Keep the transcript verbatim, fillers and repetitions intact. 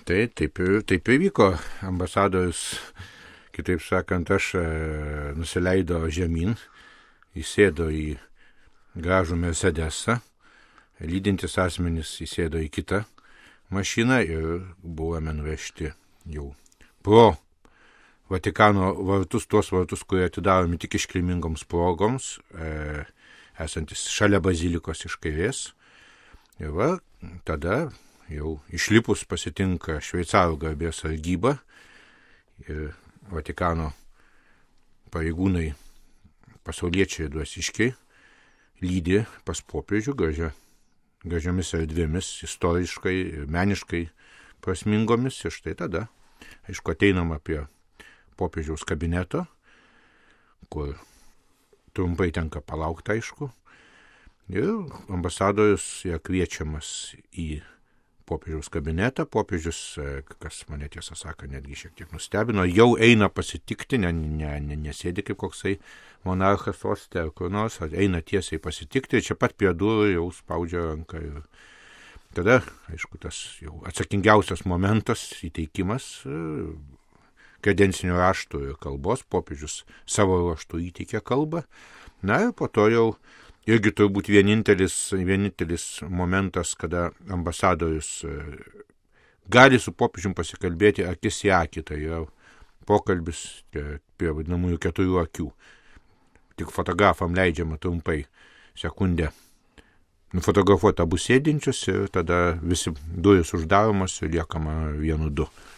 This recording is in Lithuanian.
Tai taip ir, taip ir vyko. Ambasadorius, kitaip sakant, aš e, nusileido žemyn, įsėdo į gražų Mercedesą, lydintis asmenys įsėdo į kitą mašiną ir buvome nuvežti jau pro Vatikano vartus, tuos vartus, kurie atidaromi tik iškilmingoms progoms, e, esantis šalia bazilikos iš kairės. Ir va, tada jau išlipus pasitinka šveicarų garbės sargyba ir Vatikano pareigūnai, pasauliečiai dvasiškiai, lydi pas popiežių gražia, gražiomis erdvėmis, istoriškai ir meniškai prasmingomis. Ir štai tada, aišku, ateinama prie popiežiaus kabineto, kur trumpai tenka palaukti, aišku. Ir ambasadorius yra kviečiamas į popiežiaus kabinetą. Popiežius, kas mane tiesą sako, netgi šiek tiek nustebino, jau eina pasitikti, ne, ne, ne, nesėdi kaip koksai monarchas soste ar kur nors, eina tiesiai pasitikti, čia pat prie durų jau spaudžia ranką. Ir tada, aišku, tas jau atsakingiausias momentas, įteikimas kredencinio rašto ir kalbos. Popiežius savo raštu įteikė kalbą. Na ir po to jau irgi turbūt vienintelis, vienintelis momentas, kada ambasadorius gali su popiežium pasikalbėti akis į akį, tai yra pokalbis prie vadinamųjų keturių akių. Tik fotografam leidžiama trumpai sekundę nufotografuoti abu sėdinčius ir tada visi durys uždaromos ir liekama vienu du.